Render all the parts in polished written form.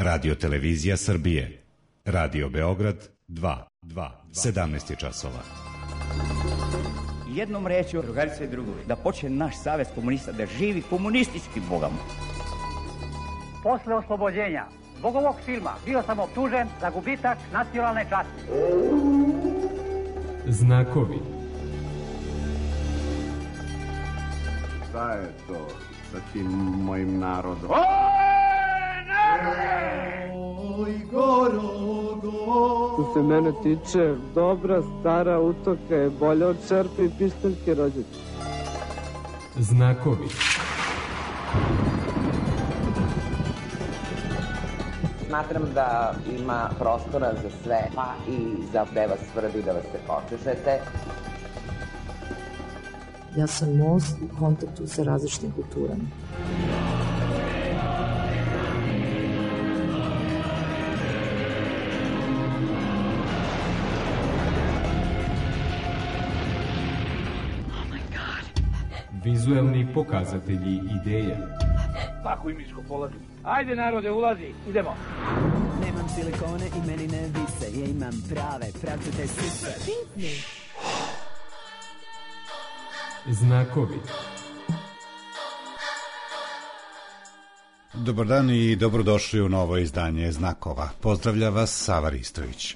Radio Televizija Srbije. Radio Beograd 2. 17 je časova. Jednom rečju, drugarice i drugovi, da počne naš savez komunista da živi komunističkim bogom. Posle oslobođenja zbog ovog filma bio sam optužen za gubitak nacionalne časti. Znakovi. Šta je to sa tim mojim narodom? Oj, Gorogo! Što se mene tiče, dobra stara utoka je bolja od čerpe i pištaljke rođaka. Znakovi. Smatram da ima prostora za sve, pa i za gde vas tvrdi da vas se počešete. Ja sam most u kontaktu sa različitim kulturama. Vizuelni pokazatelji ideja. Pakuj miško, polazi. Ajde narode, ulazi, idemo. Nemam silikone i meni ne vise, ja imam prave, pravcete sise. Znakovi. Dobar dan i dobrodošli u novo izdanje Znakova. Pozdravlja vas Sava Ristović.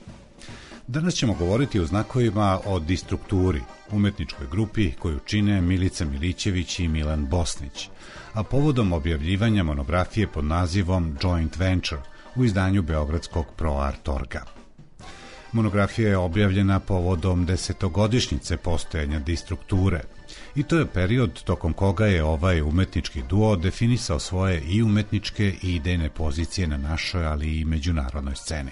Danas ćemo govoriti o znakovima o Distrukturi, umetničkoj grupi koju čine Milica Milićević i Milan Bosnić, a povodom objavljivanja monografije pod nazivom Joint Venture u izdanju Beogradskog ProArt Orga. Monografija je objavljena povodom 10-godišnjice postojanja Distrukture i to je period tokom koga je ovaj umetnički duo definisao svoje i umetničke i idejne pozicije na našoj, ali i međunarodnoj sceni.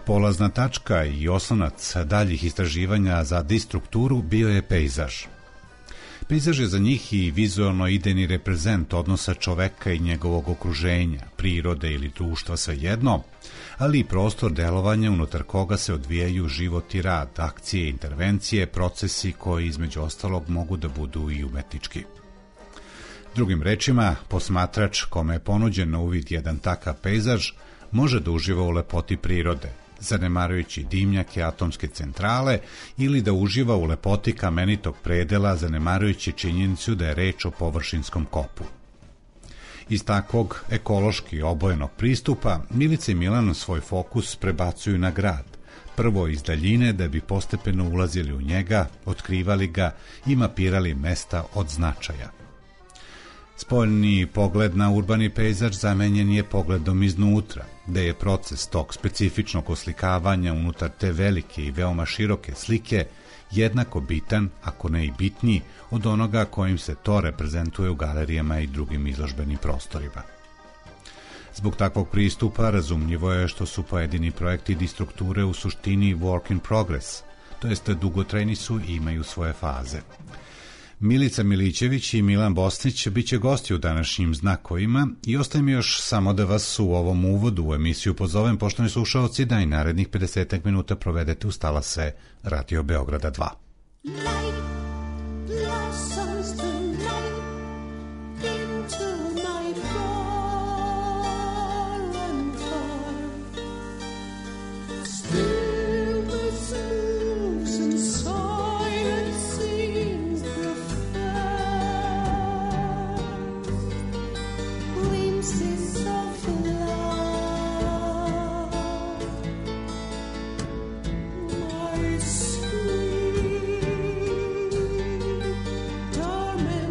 Polazna tačka i osnovac daljih istraživanja za Distrukturu bio je pejzaž. Pejzaž je za njih i vizualno idejni reprezent odnosa čoveka i njegovog okruženja, prirode ili društva, svejedno, ali i prostor delovanja unutar koga se odvijaju život i rad, akcije, intervencije, procesi koji između ostalog mogu da budu i umetnički. Drugim rečima, posmatrač kome je ponuđen na uvid jedan takav pejzaž može da uživa u lepoti prirode, zanemarujući dimnjake atomske centrale, ili da uživa u lepoti kamenitog predela, zanemarujući činjenicu da je reč o površinskom kopu. Iz takvog ekološki obojenog pristupa, Milica i Milan svoj fokus prebacuju na grad, prvo iz daljine da bi postepeno ulazili u njega, otkrivali ga i mapirali mesta od značaja. Spoljni pogled na urbani pejzaž zamenjen je pogledom iznutra, gde je proces tog specifičnog oslikavanja unutar te velike i veoma široke slike jednako bitan, ako ne i bitniji, od onoga kojim se to reprezentuje u galerijama i drugim izložbenim prostorima. Zbog takvog pristupa razumljivo je što su pojedini projekti Distrukture u suštini work in progress, to jest dugotrajni su i imaju svoje faze. Milica Milićević i Milan Bosnić biće gosti u današnjim Znakovima i ostaje mi još samo da vas u ovom uvodu u emisiju pozovem, poštovani slušaoci, da i narednih 50 minuta provedete uz talase Radio Beograda 2. Torment.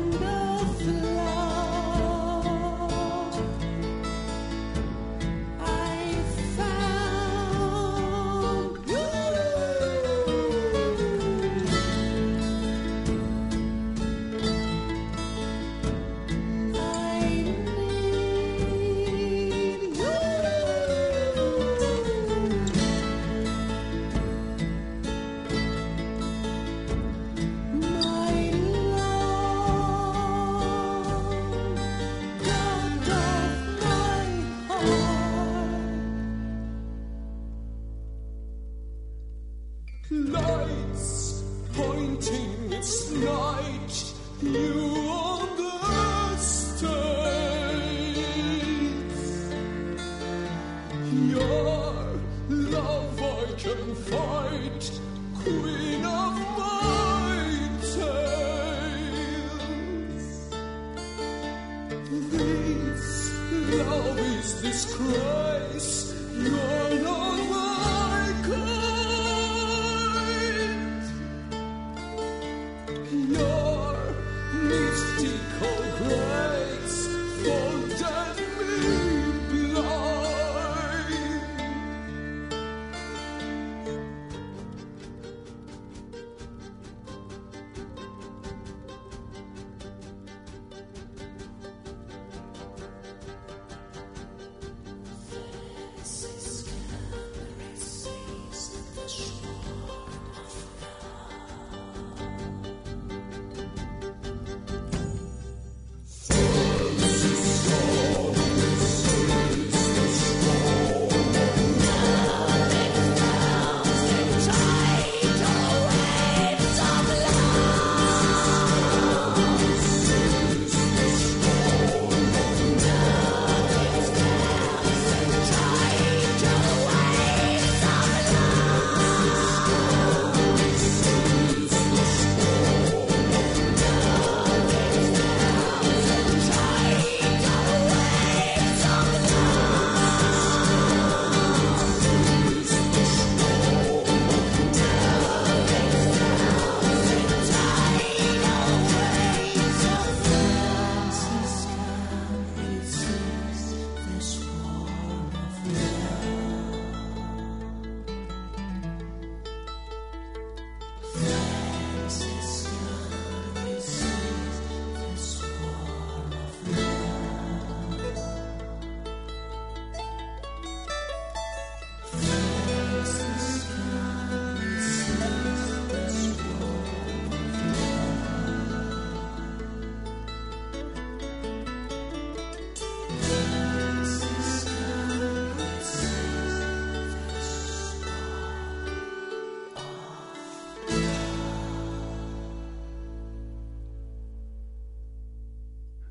Your love I can fight, queen of my tales. This love is disgrace, you're not my kind. Your mystical grace folded me blind.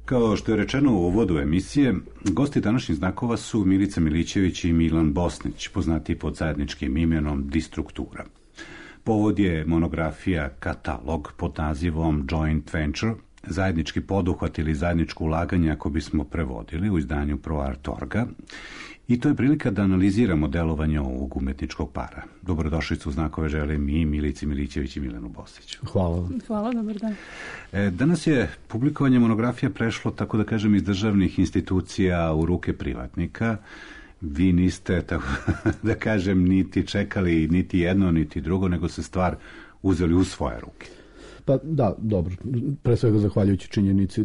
Kao što je rečeno u uvodu emisije, gosti današnjih znakova su Milica Milićević i Milan Bosnić, poznati pod zajedničkim imenom Distruktura. Povod je monografija Katalog pod nazivom Joint Venture, zajednički poduhvat ili zajedničko ulaganje, ako bismo prevodili, u izdanju ProArt.org-a. I to je prilika da analiziramo delovanje ovog umetničkog para. Dobrodošlicu u znakove želim i Milici Milićević i Milanu Bosniću. Hvala. Hvala, dobar dan. Danas je publikovanje monografija prešlo, tako da kažem, iz državnih institucija u ruke privatnika. Vi niste, tako da kažem, niti čekali niti jedno, niti drugo, nego se stvar uzeli u svoje ruke. Pa da, dobro. Pre svega zahvaljujući činjenici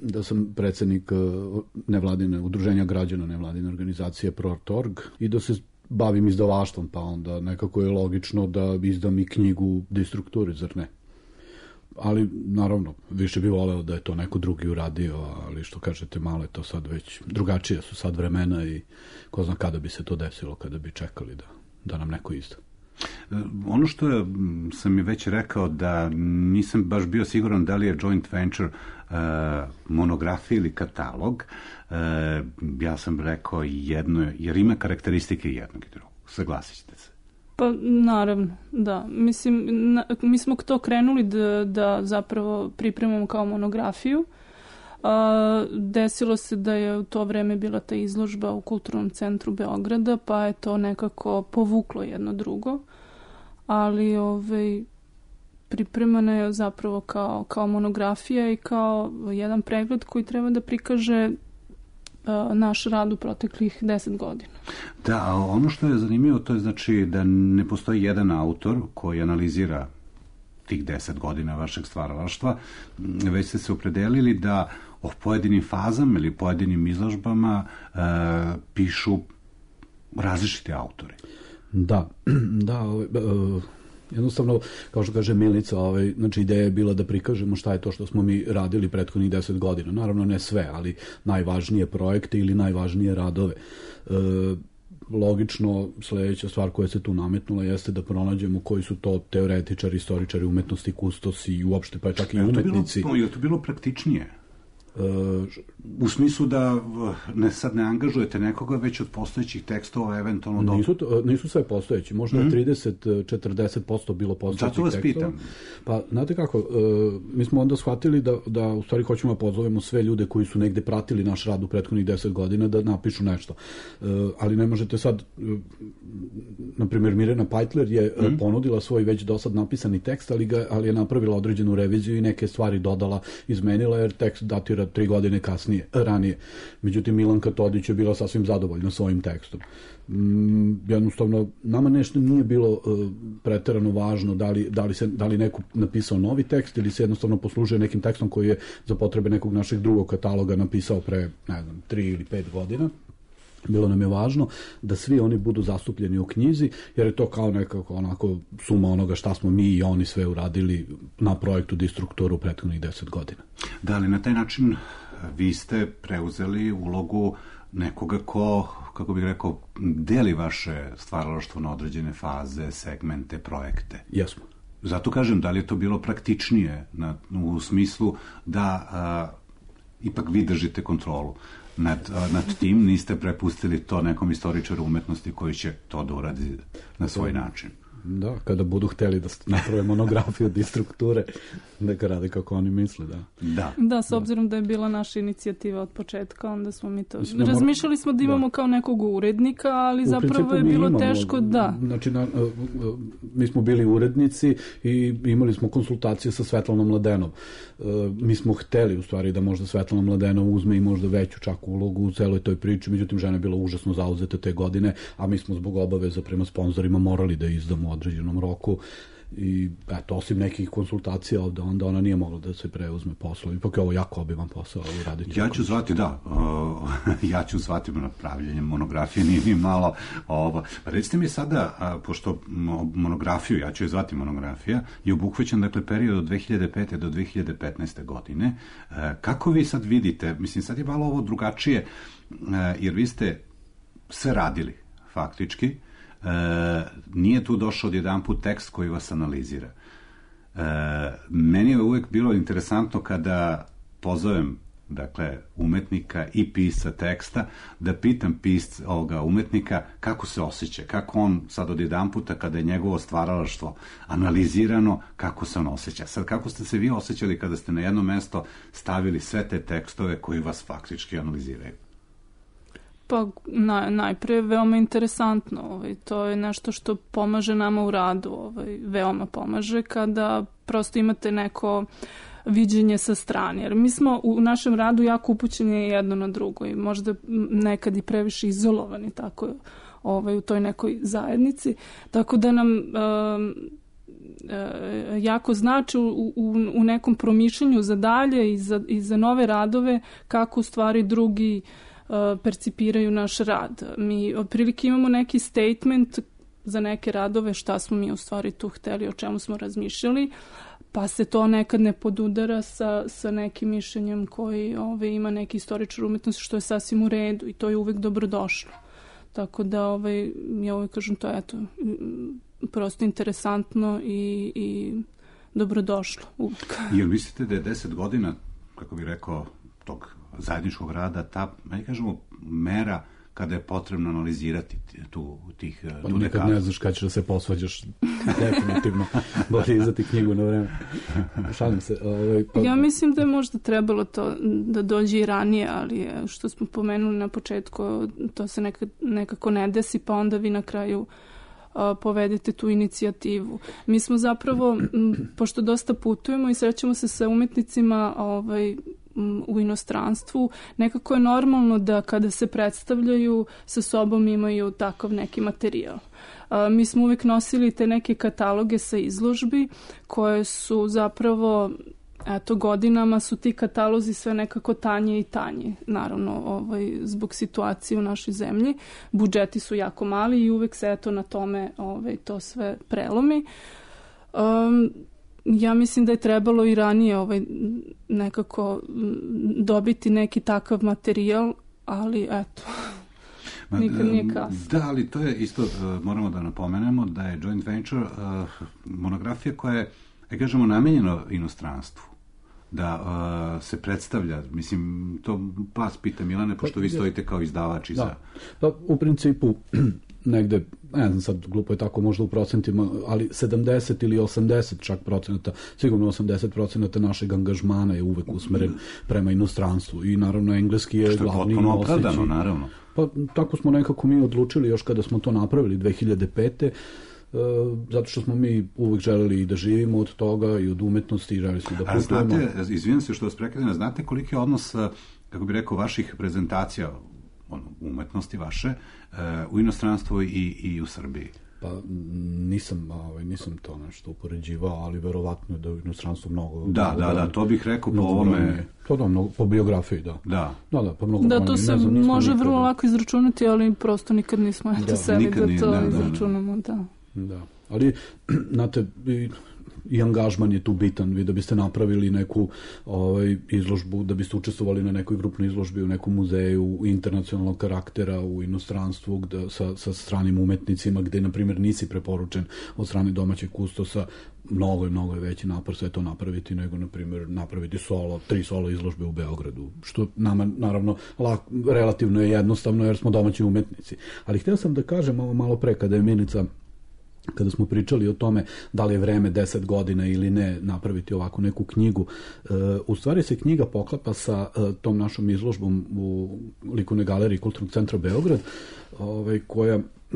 da sam predsednik nevladine udruženja građana nevladine organizacije ProArt.org i da se bavim izdavaštvom, pa onda nekako je logično da izdam i knjigu Distrukturi, zar ne? Ali, naravno, više bi voleo da je to neko drugi uradio, ali što kažete, malo je to sad već drugačije su sad vremena i ko zna kada bi se to desilo, kada bi čekali da nam neko izda. Ono što sam je već rekao da nisam baš bio siguran da li je joint venture monografija ili katalog, ja sam rekao jedno, jer ima karakteristike jednog i drugog. Saglasit ćete se. Pa naravno, da. Mislim, mi smo to krenuli da zapravo pripremamo kao monografiju. Desilo se da je u to vreme bila ta izložba u Kulturnom centru Beograda, pa je to nekako povuklo jedno drugo, ali pripremana je zapravo kao monografija i kao jedan pregled koji treba da prikaže naš rad u proteklih 10 godina. Da, a ono što je zanimljivo, to je znači da ne postoji jedan autor koji analizira tih 10 godina vašeg stvaralaštva, već ste se opredelili da o pojedinim fazama ili pojedinim izložbama pišu različiti autori. Da, jednostavno, kao što kaže Milica, znači ideja je bila da prikažemo šta je to što smo mi radili prethodnih 10 godina. Naravno ne sve, ali najvažnije projekte ili najvažnije radove. Logično, sledeća stvar koja se tu nametnula jeste da pronađemo koji su to teoretičari, istoričari umetnosti, kustosi i uopšte pa čak i umetnici. Je to bilo praktičnije? U smislu da sad ne angažujete nekoga, već od postojećih tekstova eventualno... Nisu sve postojeći, možda 30-40% bilo postojećih tekstova. Zato vas pitam. Pa, znate kako, mi smo onda shvatili da u stvari hoćemo da pozovemo sve ljude koji su negde pratili naš rad u prethodnih 10 godina da napišu nešto. Ali ne možete sad, na primjer, Mirjana Pajtler je ponudila svoj već do sad napisani tekst, ali je napravila određenu reviziju i neke stvari dodala, izmenila, jer tekst datira 3 godine ranije. Međutim, Milanka Todić je bila sasvim zadovoljna svojim tekstom. Jednostavno, nama nešto nije bilo preterano važno da li neko napisao novi tekst ili se jednostavno poslužuje nekim tekstom koji je za potrebe nekog našeg drugog kataloga napisao pre, 3 ili 5 godina. Bilo nam je važno da svi oni budu zastupljeni u knjizi, jer je to kao nekako onako suma onoga šta smo mi i oni sve uradili na projektu Distrukturu u prethodnih 10 godina. Da li na taj način vi ste preuzeli ulogu nekoga ko, kako bih rekao, deli vaše stvaralaštvo na određene faze, segmente, projekte? Jesmo. Zato kažem, da li je to bilo praktičnije u smislu da ipak vi držite kontrolu nad tim, niste prepustili to nekom istoričaru umetnosti koji će to da uradi na svoj način? Da, kada budu hteli da naprave monografiju Distrukture, neka rade kako oni misle, da. Da, s obzirom da je bila naša inicijativa od početka, onda smo mi to... Razmišljali smo da imamo kao nekog urednika, ali zapravo je bilo teško, da. Znači, mi smo bili urednici i imali smo konsultacije sa Svetlanom Mladenov. Mi smo hteli, u stvari, da možda Svetlana Mladenov uzme i možda veću čak ulogu u celoj toj priči, međutim, žena je bila užasno zauzeta te godine, a mi smo zbog obaveza prema sponzorima morali da izdamo u određenom roku i eto, osim nekih konsultacija ovde, onda ona nije mogla da se preuzme posao. Ipak je ovo jako obiman posao raditi. Ja ću zvati, ja ću zvati na pravljenje monografije, nije ni malo ovo. Recite mi sada, pošto monografiju, ja ću je zvati monografija, je obuhvaćen, dakle, period od 2005. do 2015. godine. Kako vi sad vidite, mislim, sad je malo ovo drugačije, jer vi ste sve radili, faktički, nije tu došao odjedanput tekst koji vas analizira. Meni je uvek bilo interesantno kada pozovem, dakle, umetnika i pisca teksta, da pitam ovoga umetnika kako se osjeća, kako on sad odjedanputa kada je njegovo stvaralaštvo analizirano, kako se on osjeća. Sad, kako ste se vi osjećali kada ste na jedno mesto stavili sve te tekstove koji vas faktički analiziraju? Pa najpre veoma interesantno, to je nešto što pomaže nama u radu, veoma pomaže kada prosto imate neko viđenje sa strane, jer mi smo u našem radu jako upućeni jedno na drugo i možda nekad i previše izolovani tako u toj nekoj zajednici, tako da nam jako znači u nekom promišljanju za dalje i za nove radove kako u stvari drugi percipiraju naš rad. Mi otprilike imamo neki statement za neke radove šta smo mi u stvari tu hteli, o čemu smo razmišljali, pa se to nekad ne podudara sa nekim mišljenjem koji ima neki istoričar umetnosti, što je sasvim u redu i to je uvek dobrodošlo. Tako da ja uvek kažem to je prosto interesantno i dobrodošlo uvek. Jel mislite da je 10 godina, kako bih rekao, tog zajedničkog rada, ta, kažemo, mera kada je potrebno analizirati tu dekadu? Nekad ne znaš kada ćeš da se posvađaš, definitivno. Bolje izdati knjigu na vreme. Šalim se. Ja mislim da je možda trebalo to da dođe i ranije, ali što smo pomenuli na početku, to se nekako ne desi, pa onda vi na kraju povedete tu inicijativu. Mi smo zapravo, pošto dosta putujemo i srećemo se sa umetnicima u inostranstvu, nekako je normalno da kada se predstavljaju sa sobom imaju takav neki materijal. Mi smo uvek nosili te neke kataloge sa izložbi koje su zapravo, godinama su ti katalozi sve nekako tanje i tanje. Naravno, zbog situacije u našoj zemlji. Budžeti su jako mali i uvek se na tome to sve prelomi. Ja mislim da je trebalo i ranije nekako dobiti neki takav materijal, ali eto, nikad nije kasno. Da, ali to je isto, moramo da napomenemo da je Joint Venture monografija koja je, kažemo, namenjena inostranstvu. da se predstavlja? Mislim, to vas pita, Milane, pošto vi stojite kao izdavač i za... Pa, u principu, negde, ne znam sad, glupo je tako možda u procentima, ali 70 ili 80 čak procenata, sigurno 80% našeg angažmana je uvek usmeren prema inostranstvu i naravno engleski je glavni nosić. Što je potpuno opravdano, naravno. Pa tako smo nekako mi odlučili još kada smo to napravili 2005. Zato što smo mi uvek želeli i da živimo od toga i od umetnosti i želeli smo da putujemo. A znate, izvijem se što vas prekidam, znate koliki je odnos, kako bih rekao, vaših prezentacija umetnosti vaše u inostranstvu i u Srbiji? Pa nisam to nešto upoređivao, ali verovatno je da u inostranstvu mnogo... Da, to bih rekao po ovome... To da, po biografiji, da. Da, pa mnogo... Da, to se može vrlo lako izračunati, ali prosto nikad nismo seli da to izračunamo, da. Da, ali, znate, i angažman je tu bitan. Vi da biste napravili neku izložbu, da biste učestvovali na nekoj grupnoj izložbi u nekom muzeju internacionalnog karaktera u inostranstvu sa stranim umetnicima, gde, na primjer, nisi preporučen od strane domaćeg kustosa, mnogo je veći napor sve to napraviti nego, na primjer, napraviti 3 solo izložbe u Beogradu, što nama, naravno, relativno je jednostavno jer smo domaći umetnici. Ali htio sam da kažem ovo malo pre, kada smo pričali o tome da li je vreme 10 godina ili ne napraviti ovako neku knjigu, u stvari se knjiga poklapa sa tom našom izložbom u Likovnoj galeriji Kulturnog centra Beograd,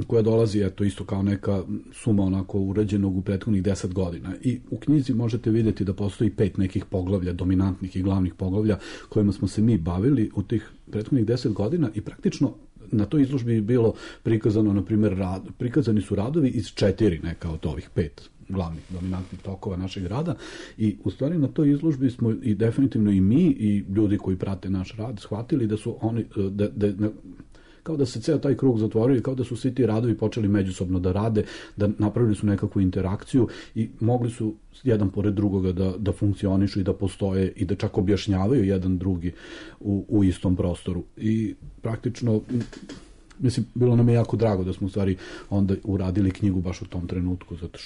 koja dolazi isto kao neka suma onako urađenog u prethodnih 10 godina. I u knjizi možete vidjeti da postoji 5 nekih poglavlja, dominantnih i glavnih poglavlja kojima smo se mi bavili u tih prethodnih 10 godina i praktično na toj izložbi je bilo prikazano, na primjer, prikazani su radovi iz 4 neka od ovih 5 glavnih dominantnih tokova našeg rada i u stvari na toj izložbi smo i definitivno i mi i ljudi koji prate naš rad shvatili da su oni, kao da se ceo taj krug zatvorio i kao da su svi ti radovi počeli međusobno da rade, da napravili su nekakvu interakciju i mogli su jedan pored drugoga da funkcionišu i da postoje i da čak objašnjavaju jedan drugi u istom prostoru. I praktično, mislim, bilo nam je jako drago da smo u stvari onda uradili knjigu baš u tom trenutku, zato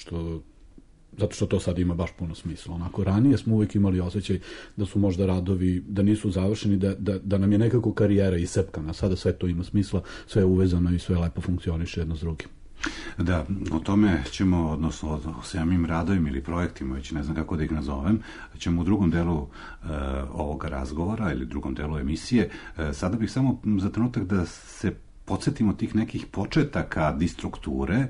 što to sad ima baš puno smisla. Onako, ranije smo uvijek imali osjećaj da su možda radovi, da nisu završeni, da nam je nekako karijera isepkana. Sada sve to ima smisla, sve je uvezano i sve lepo funkcioniše jedno s drugim. Da, o tome ćemo, odnosno o samim radovima ili projektima, već ne znam kako da ih nazovem, ćemo u drugom delu ovoga razgovora ili drugom delu emisije. Sada bih samo za trenutak da se podsjetimo tih nekih početaka distrukture.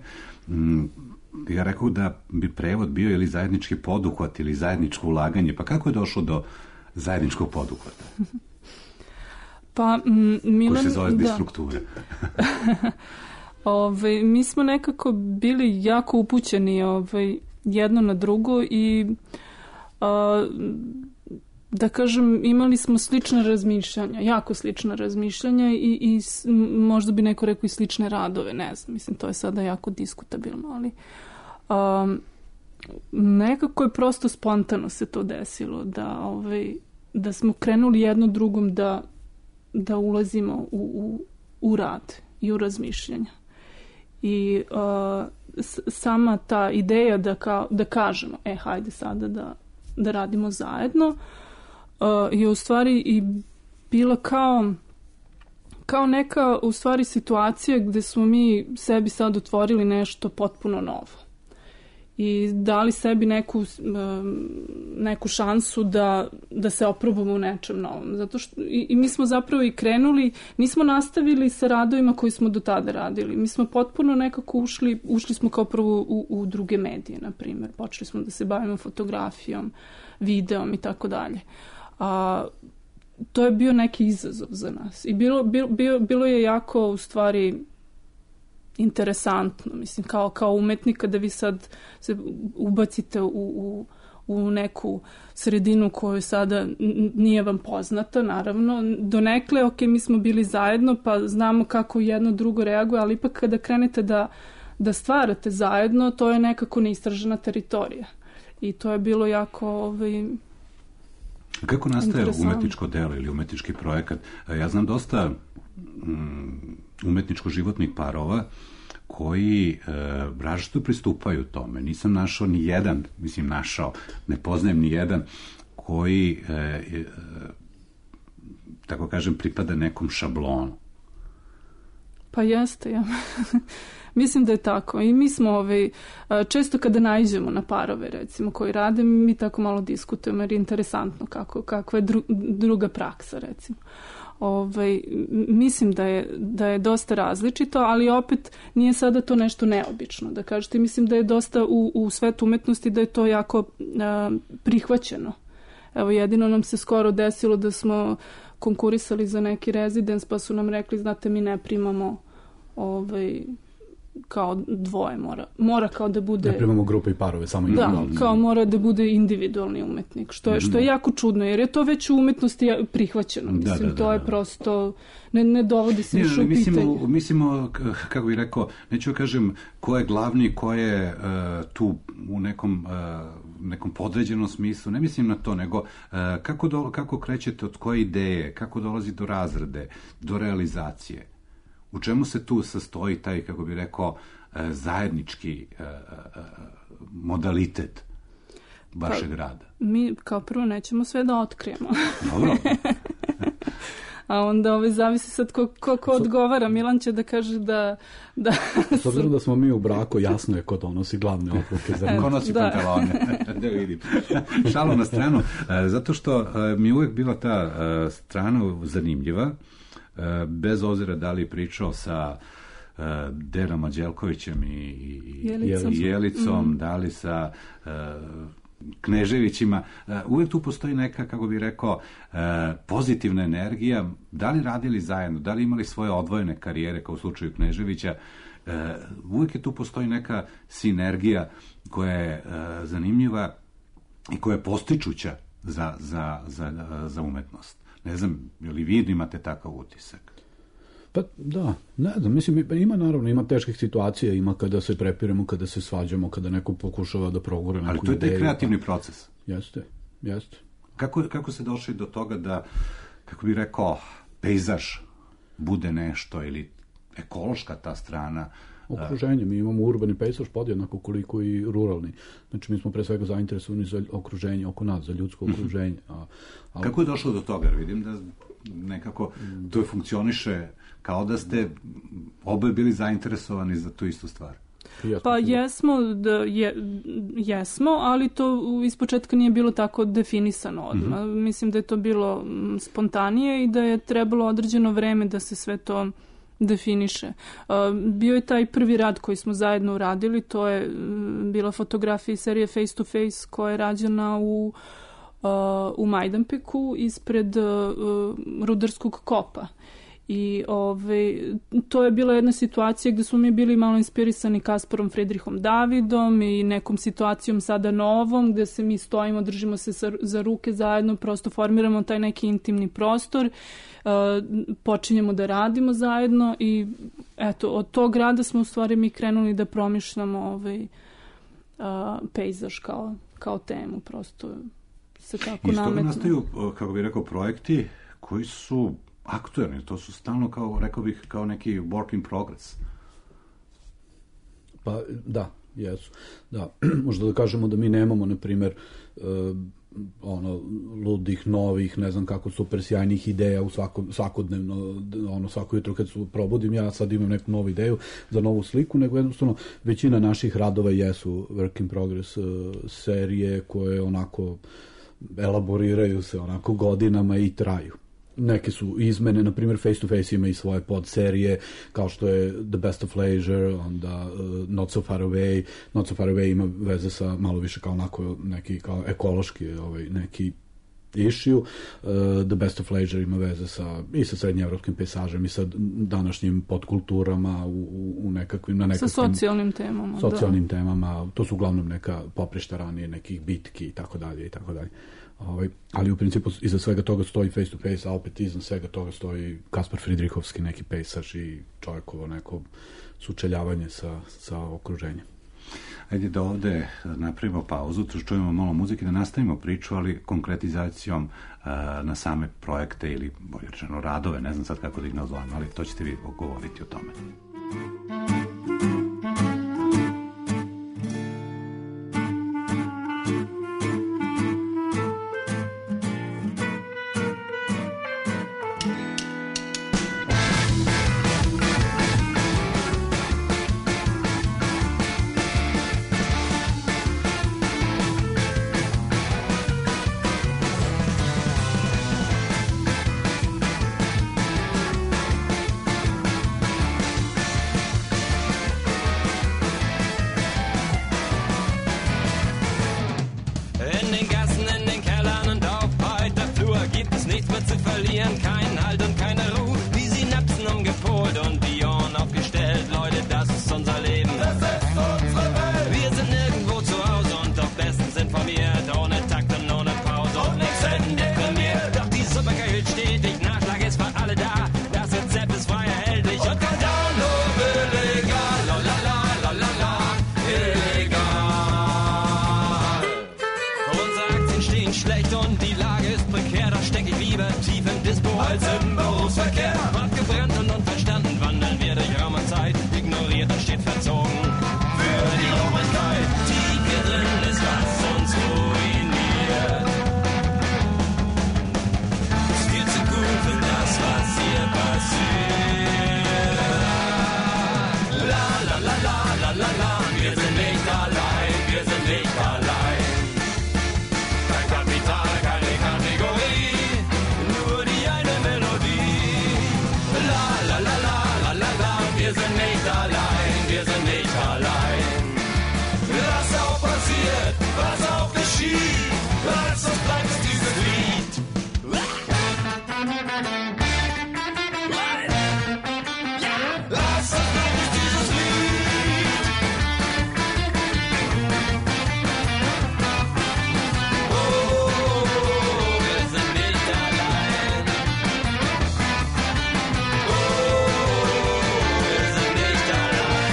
Ja rekao da bi prevod bio ili zajednički poduhvat ili zajedničko ulaganje. Pa kako je došlo do zajedničkog poduhvata? Pa, Milan... Koji se zove distrukture. Mi smo nekako bili jako upućeni jedno na drugo i da kažem, imali smo slične razmišljanja, jako slična razmišljanja i možda bi neko rekao i slične radove, ne znam, mislim, to je sada jako diskutabilno, ali nekako je prosto spontano se to desilo, da smo krenuli jedno drugom da ulazimo u rad i u razmišljanja. I sama ta ideja da kažemo, hajde sada da radimo zajedno, je u stvari i bila kao neka u stvari situacija gde smo mi sebi sad otvorili nešto potpuno novo i dali sebi neku šansu da se oprobamo u nečem novom. Zato što i mi smo zapravo i krenuli, nismo nastavili sa radovima koji smo do tada radili. Mi smo potpuno nekako ušli smo kao prvo u druge medije, na primjer. Počeli smo da se bavimo fotografijom, videom i tako dalje. To je bio neki izazov za nas. I bilo je jako, u stvari, interesantno, mislim, kao umetnika da vi sad se ubacite u neku sredinu koju sada nije vam poznata, naravno. Donekle, mi smo bili zajedno, pa znamo kako jedno drugo reaguje, ali ipak kada krenete da stvarate zajedno, to je nekako neistražena teritorija. I to je bilo jako Kako nastaje umetničko delo ili umetnički projekat? Ja znam dosta umetničko-životnih parova koji različito pristupaju tome. Nisam našao ni jedan, ne poznajem ni jedan koji, tako kažem, pripada nekom šablonu. Pa jeste, ja. Mislim da je tako. I mi smo često kada naiđemo na parove, recimo, koji rade, mi tako malo diskutujemo, jer je interesantno kakva je druga praksa, recimo. Mislim da je dosta različito, ali opet nije sada to nešto neobično, da kažete. Mislim da je dosta u svetu umetnosti da je to jako prihvaćeno. Evo, jedino nam se skoro desilo da smo konkurisali za neki rezidens, pa su nam rekli, znate, mi ne primamo kao dvoje, mora kao da bude... Ne primamo grupe i parove, samo individualni. Da, kao mora da bude individualni umetnik, što je jako čudno, jer je to već u umetnosti prihvaćeno. Mislim, to je prosto... Ne dovodi se više u pitanje. Mislimo, kako bih rekao, neću da kažem ko je glavni, ko je tu u nekom podređenom smislu, ne mislim na to, nego kako krećete od koje ideje, kako dolazi do razrade, do realizacije. U čemu se tu sastoji taj, kako bih rekao, zajednički modalitet vašeg rada? Mi kao prvo nećemo sve da otkrijemo. Dobro. A onda zavisi sad ko odgovara. Milan će da kaže da... S obzirom da smo mi u braku, jasno je ko donosi glavne odluke. Ko nosi pantalone. Da vidim. Šalu na stranu. Zato što mi je uvek bila ta strana zanimljiva, bez obzira da li pričao sa Denom Anđelkovićem i Jelicom, da li sa Kneževićima, uvek tu postoji neka, kako bih rekao, pozitivna energija, da li radili zajedno, da li imali svoje odvojene karijere, kao u slučaju Kneževića, uvek je tu postoji neka sinergija koja je zanimljiva i koja je postičuća za umetnost. Ne znam, ili vi imate takav utisak? Pa da, ne znam, mislim, ima teških situacija, ima kada se prepiremo, kada se svađamo, kada neko pokušava da progure neku ideju. Ali to je taj kreativni proces. Jeste. Kako se došli do toga da, kako bih rekao, pejzaž bude nešto, ili ekološka ta strana? Okruženje, mi imamo urbani pejzaž podjednako koliko i ruralni. Znači, mi smo pre svega zainteresovani za okruženje oko nas, za ljudsko okruženje. Kako je došlo do toga? Vidim da nekako to funkcioniše kao da ste oboje bili zainteresovani za tu istu stvar. Pa jesmo, ali to ispočetka nije bilo tako definisano odmah. Mislim da je to bilo spontanije i da je trebalo određeno vreme da se sve to definiše. Bio je taj prvi rad koji smo zajedno uradili, to je bila fotografija iz serije Face to Face koja je rađena u Majdanpeku ispred rudarskog kopa. I to je bila jedna situacija gde smo mi bili malo inspirisani Kasparom Friedrichom Davidom i nekom situacijom sada novom gde se mi stojimo, držimo se za ruke zajedno, prosto formiramo taj neki intimni prostor, počinjemo da radimo zajedno i eto, od tog rada smo u stvari mi krenuli da promišljamo pejzaž kao temu, prosto se tako nametno. Iz toga nastaju, kako bih rekao, projekti koji su aktuelni, to su stalno, kao, rekao bih, kao neki work in progress. Pa, da, jesu. Da, možda da kažemo da mi nemamo, na primjer, ludih, novih, ne znam kako, super sjajnih ideja u svakodnevno, svako jutro kad se probudim, ja sad imam neku novu ideju za novu sliku, nego jednostavno većina naših radova jesu work in progress serije koje onako elaboriraju se onako godinama i traju. Neke su izmene, na primjer Face to Face ima i svoje podserije, kao što je The Best of Leisure, onda Not So Far Away. Not So Far Away ima veze sa malo više kao onako neki kao ekološki neki issue. The Best of Leisure ima veze sa srednjeevropskim pejsažem i sa današnjim podkulturama u nekakvim... Sa socijalnim temama. Socijalnim temama. To su uglavnom neka poprišta ranije, nekih bitki i tako dalje i tako dalje. Ali u principu iza svega toga stoji Face to Face, a opet iznad svega toga stoji Kaspar Friedrichovski neki pejsaž i čovjekovo neko sučeljavanje sa okruženjem. Ajde da ovde napravimo pauzu, čujemo malo muzike, da nastavimo priču, ali konkretizacijom na same projekte ili, bolje rečeno, radove, ne znam sad kako da ih nazovem, ali to ćete vi govoriti o tome. Schwere steht verzogen für die Obrigkeit. Tief hier drin ist, was uns ruiniert. Ist viel zu gut für das, was hier passiert. La la la la la la la, wir sind nicht allein, wir sind nicht allein. Kein Kapital, keine Kategorie, nur die eine Melodie. La la la la la la la, wir sind nicht allein, wir sind nicht allein. Was auch passiert, was auch geschieht, was uns bleibt ist dieses Lied. Was uns bleibt ist dieses Lied. Oh, wir sind nicht allein. Oh, wir sind nicht allein.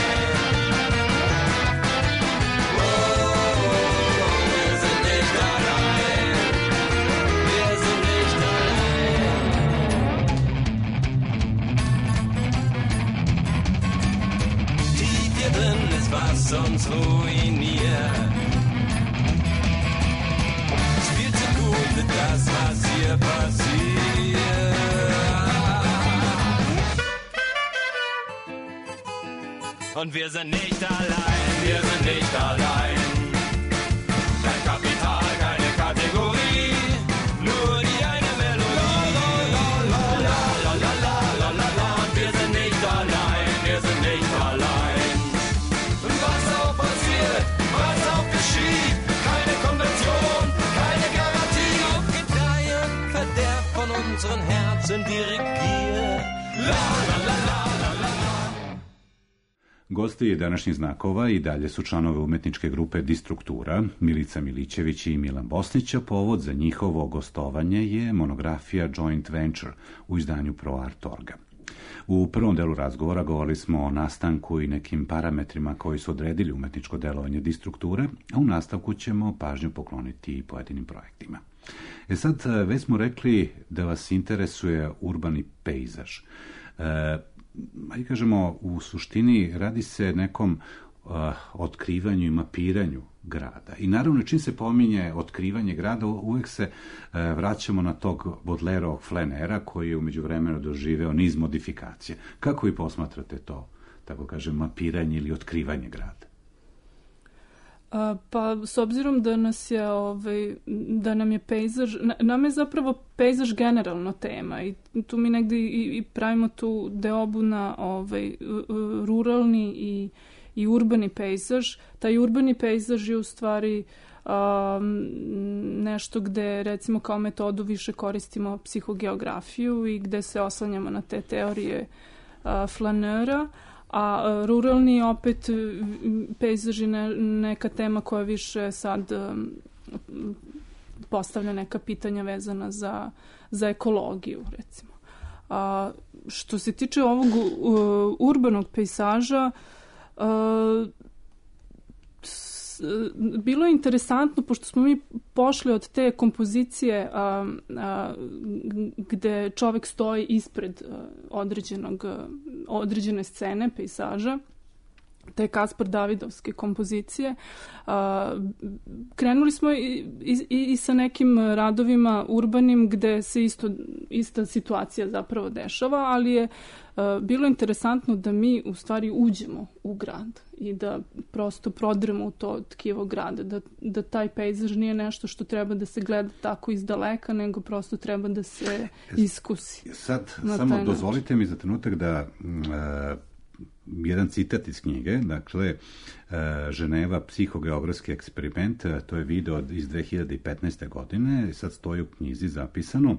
Oh, wir sind nicht allein. Wir sind nicht allein. Tief hier drin ist, was uns ruiniert. Ist viel zu gut für das, was hier passiert. Und wir sind nicht allein, wir sind nicht allein. Kein Kapital, keine Kategorie, nur die eine Melodie. La la la la la la la la. Und wir sind nicht allein, wir sind nicht allein. Und was auch passiert, was auch geschieht, keine Konvention, keine Garantie. Auf Gedeih und Verderb von unseren Herzen dirigiert. La la la la la la la. Gosti današnjih znakova i dalje su članovi umetničke grupe Distruktura, Milica Milićević i Milan Bosnić, a povod za njihovo gostovanje je monografija Joint Venture u izdanju ProArt.org. U prvom delu razgovora govorili smo o nastanku i nekim parametrima koji su odredili umetničko delovanje Distrukture, a u nastavku ćemo pažnju pokloniti i pojedinim projektima. Sad, već smo rekli da vas interesuje urbani pejzaž. Ajde kažemo, u suštini radi se nekom otkrivanju i mapiranju grada. I naravno, čim se pominje otkrivanje grada, uvek se vraćamo na tog Baudelaireovog flanera koji je umeđu vremenu doživeo niz modifikacije. Kako vi posmatrate to, tako kažem, mapiranje ili otkrivanje grada? Pa, s obzirom da da nam je pejzaž, nam je zapravo pejzaž generalno tema i tu mi negde i pravimo tu deobu na ruralni i urbani pejzaž. Taj urbani pejzaž je u stvari nešto gde, recimo, kao metodu više koristimo psihogeografiju i gde se oslanjamo na te teorije flanera, a ruralni opet pejzaž je neka tema koja više sad postavlja neka pitanja vezana za ekologiju, recimo. Što se tiče ovog urbanog pejzaža, bilo je interesantno, pošto smo mi pošli od te kompozicije gde čovek stoji ispred određene scene, pejzaža, te Kaspar Davidovske kompozicije. Krenuli smo i sa nekim radovima urbanim gde se ista situacija zapravo dešava, ali je bilo interesantno da mi u stvari uđemo u grad i da prosto prodremo u to tkivo grada, da taj pejzaž nije nešto što treba da se gleda tako iz daleka, nego prosto treba da se iskusi. Sad, samo dozvolite mi za trenutak da jedan citat iz knjige, dakle, Ženeva, psihogeografski eksperiment, to je video iz 2015. godine, sad stoji u knjizi zapisano.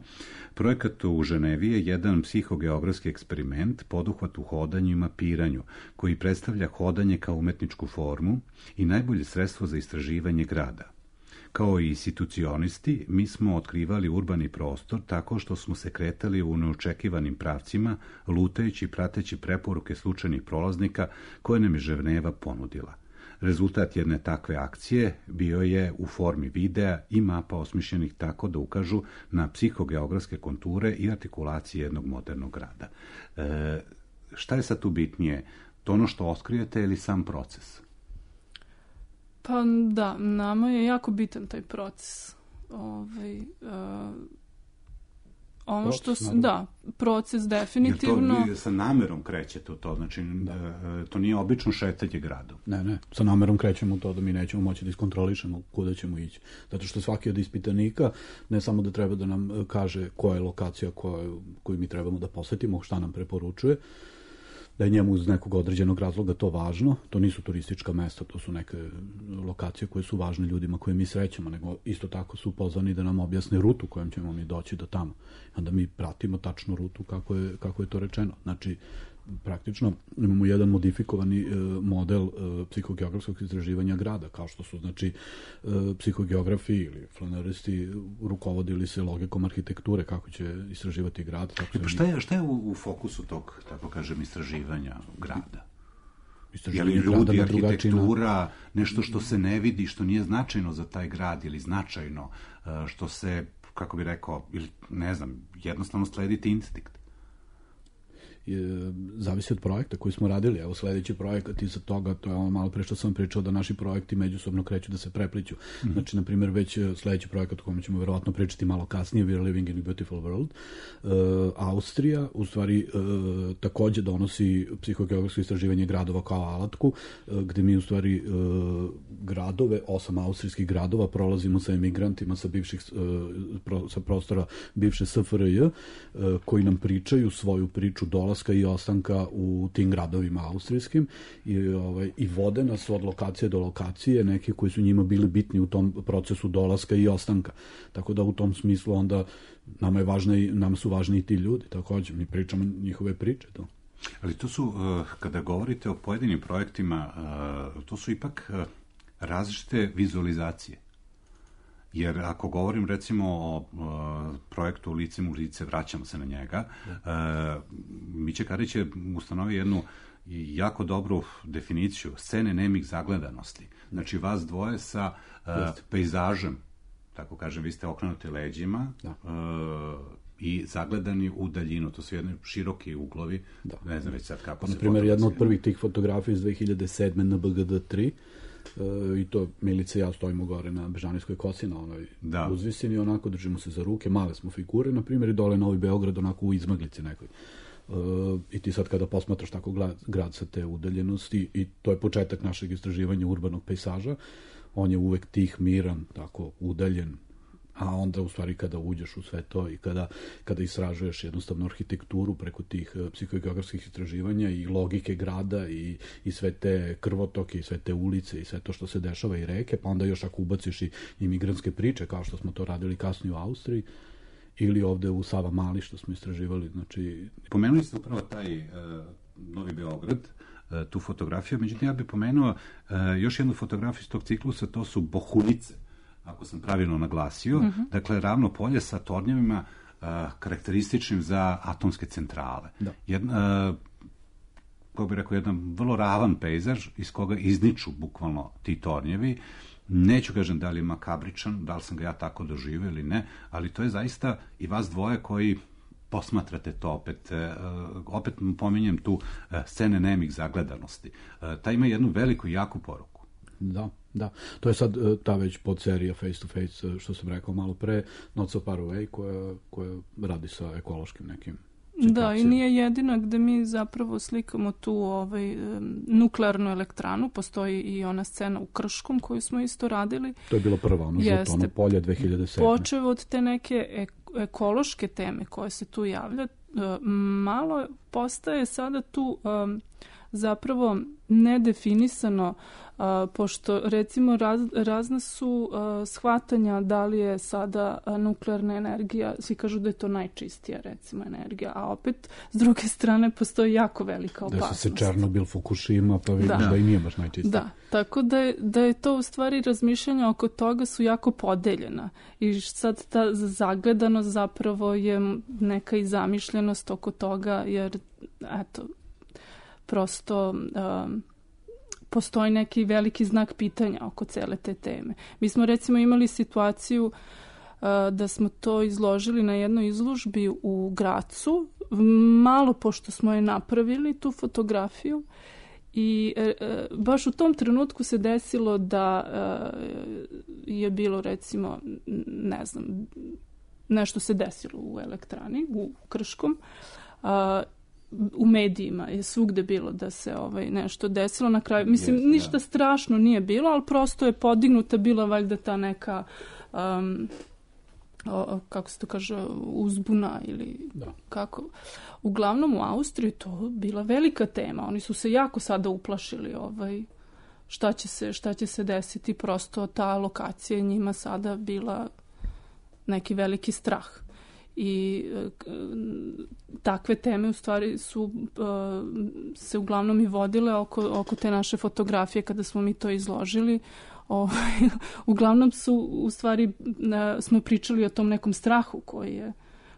Projekat u Ženevi je jedan psihogeografski eksperiment, poduhvat u hodanju i mapiranju, koji predstavlja hodanje kao umetničku formu i najbolje sredstvo za istraživanje grada. Kao i institucionisti, mi smo otkrivali urbani prostor tako što smo se kretali u neočekivanim pravcima, lutajući i prateći preporuke slučajnih prolaznika koje nam je Ženeva ponudila. Rezultat jedne takve akcije bio je u formi videa i mapa osmišljenih tako da ukažu na psihogeografske konture i artikulacije jednog modernog grada. Šta je sad tu bitnije? To ono što otkrijete ili sam proces? Pa da, nama je jako bitan taj proces. Ono što proces definitivno. Jer to vi sa namerom krećete u to, znači to nije obično šetanje gradom. Ne, sa namerom krećemo u to da mi nećemo moći da iskontrolišemo kuda ćemo ići. Zato što svaki od ispitanika ne samo da treba da nam kaže koja je lokacija koju mi trebamo da posetimo, šta nam preporučuje, da je njemu iz nekog određenog razloga to važno. To nisu turistička mesta, to su neke lokacije koje su važne ljudima koje mi srećemo, nego isto tako su pozvani da nam objasne rutu kojom ćemo mi doći do tamo. Onda mi pratimo tačnu rutu kako je to rečeno. Znači, praktično imamo jedan modifikovani model psihogeografskog istraživanja grada, kao što su, znači, psihogeografi ili flaneristi rukovodili se logikom arhitekture, kako će istraživati grad. Šta je u fokusu tog, tako kažem, istraživanja grada? Je li Istraživanje grada ljudi, na drugačiji arhitektura, nešto što se ne vidi, što nije značajno za taj grad ili značajno, što se, kako bi rekao, ili ne znam, jednostavno slediti instinkt? Zavisi od projekta koji smo radili. Evo, sledeći projekat iza toga, to je ono malo pre što sam pričao, da naši projekti međusobno kreću da se prepliću. Znači, na primjer, već sledeći projekat o kome ćemo verovatno pričati malo kasnije, We are living in a beautiful world, Austrija, u stvari, takođe donosi psihogeografsko istraživanje gradova kao alatku, gde mi, u stvari, gradove, 8 austrijskih gradova, prolazimo sa emigrantima sa prostora bivše SFRJ, koji nam pričaju svoju priču dolaska i ostanka u tim gradovima austrijskim i vode nas od lokacije do lokacije, neki koji su njima bili bitni u tom procesu dolaska i ostanka. Tako da u tom smislu onda nam su važni i ti ljudi, takođe, mi pričamo njihove priče. To. Ali to su, kada govorite o pojedinim projektima, to su ipak različite vizualizacije. Jer ako govorim recimo o projektu Licem u lice, vraćamo se na njega, Miće Karić je ustanovio jednu jako dobru definiciju scene nemih zagledanosti. Znači vas dvoje sa pejzažem, tako kažem, vi ste okrenuti leđima i zagledani u daljinu. To su jedni široki uglovi, ne znam već sad kako se... Na primjer, jedna od prvih tih fotografija iz 2007. na BGD3, i to Milica i ja stojimo gore na Bežanijskoj kosi, na onoj uzvisini, onako držimo se za ruke, male smo figure, na primjer, i dole Novi Beograd, onako u izmaglici nekoj. I ti sad kada posmatraš tako grad sa te udaljenosti, i to je početak našeg istraživanja urbanog pejsaža, on je uvek tih, miran, tako udaljen, a onda u stvari kada uđeš u sve to i kada istražuješ jednostavno arhitekturu preko tih psihogeografskih istraživanja i logike grada i sve te krvotoke i sve te ulice i sve to što se dešava i reke, pa onda još ako ubaciš i imigrantske priče, kao što smo to radili kasnije u Austriji, ili ovde u Sava Mali što smo istraživali. Znači... Pomenuli ste upravo taj Novi Beograd, tu fotografiju, međutim ja bih pomenuo još jednu fotografiju iz tog ciklusa, to su Bohunice, ako sam pravilno naglasio, dakle ravno polje sa tornjevima karakterističnim za atomske centrale. Kako bih rekao, jedan vrlo ravan pejzaž iz koga izniču bukvalno ti tornjevi. Neću kažem da li je makabričan, da li sam ga ja tako doživio ili ne, ali to je zaista i vas dvoje koji posmatrate to opet pominjem tu scene nemih zagledanosti. Ta ima jednu veliku i jaku poruku. Da. To je sad ta već podserija Face to Face, što sam rekao malo pre, Not So Far Away, koja radi sa ekološkim nekim situacijama. Da, i nije jedina gde mi zapravo slikamo tu nuklearnu elektranu, postoji i ona scena u Krškom koju smo isto radili. To je bilo prva, ono žuto, ono polje 2007. Počev od te neke ekološke teme koje se tu javlja, malo postaje sada tu zapravo nedefinisano, pošto recimo razna su shvatanja da li je sada nuklearna energija, svi kažu da je to najčistija recimo energija, a opet s druge strane postoji jako velika opasnost. Da se Černobil, Fukushima, pa vidim da i nije baš najčistija. Da, tako da je to u stvari razmišljanja oko toga su jako podeljena i sad ta zagledanost zapravo je neka i zamišljenost oko toga, jer eto, prosto postoji neki veliki znak pitanja oko cele te teme. Mi smo recimo imali situaciju da smo to izložili na jednoj izložbi u Gracu, malo pošto smo je napravili, tu fotografiju, I baš u tom trenutku se desilo da je bilo, recimo, ne znam, nešto se desilo u elektrani, u Krškom. U medijima je svugde bilo da se nešto desilo na kraju. Mislim, ništa strašno nije bilo, ali prosto je podignuta bila valjda ta neka kako se to kaže, uzbuna ili kako. Uglavnom u Austriji to bila velika tema. Oni su se jako sada uplašili šta će se desiti. Prosto ta lokacija je njima sada bila neki veliki strah. I takve teme u stvari su se uglavnom i vodile oko te naše fotografije kada smo mi to izložili. Uglavnom smo pričali o tom nekom strahu